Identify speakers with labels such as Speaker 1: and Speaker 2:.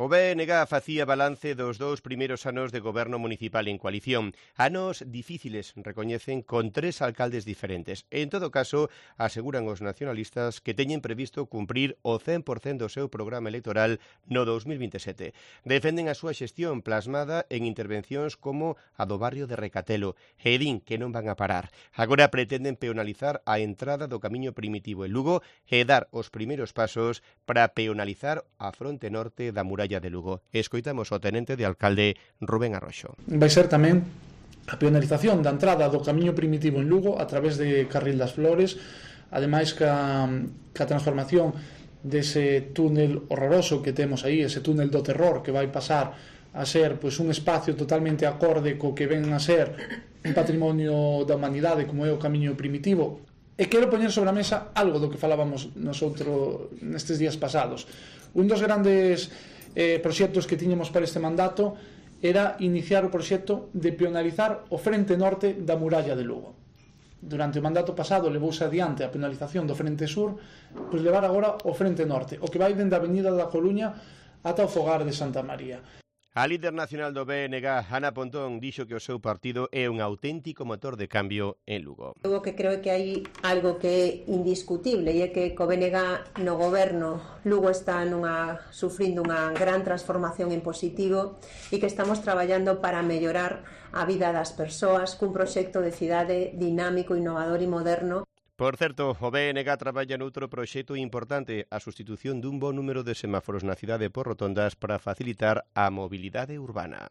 Speaker 1: O BNG facía balance dos 2 primeiros anos de goberno municipal en coalición. Anos difíciles, recoñecen, con 3 alcaldes diferentes. En todo caso, aseguran os nacionalistas que teñen previsto cumprir o 100% do seu programa electoral no 2027. Defenden a súa xestión plasmada en intervencións como a do barrio de Recatelo e din que non van a parar. Agora pretenden peonalizar a entrada do camiño primitivo en Lugo e dar os primeiros pasos para peonalizar a fronte norte da muralla de Lugo. Escoitamos o tenente de alcalde Rubén Arroxo.
Speaker 2: Vai ser tamén a penalización da entrada do camiño primitivo en Lugo a través de Carril das Flores, ademais ca transformación dese túnel horroroso que temos aí, ese túnel do terror que vai pasar a ser pois un espacio totalmente acorde co que ven a ser un patrimonio da humanidade como é o camiño primitivo. E quero poñer sobre a mesa algo do que falábamos nosotros nestes días pasados. Un dos grandes proxectos que tiñamos para este mandato era iniciar o proxecto de penalizar o frente norte da muralla de Lugo. Durante o mandato pasado levouse adiante a penalización do frente sur, pois levar agora o frente norte, o que vai dende a Avenida da Coruña ata o Fogar de Santa María.
Speaker 1: A líder nacional do BNG, Ana Pontón, dixo que o seu partido é un auténtico motor de cambio en Lugo.
Speaker 3: O que creo que hai algo que é indiscutible e é que co BNG no goberno Lugo está sufrindo unha gran transformación en positivo e que estamos traballando para mellorar a vida das persoas cun proxecto de cidade dinámico, innovador e moderno.
Speaker 1: Por certo, o BNG traballa noutro proxecto importante, a sustitución dun bo número de semáforos na cidade por rotondas para facilitar a mobilidade urbana.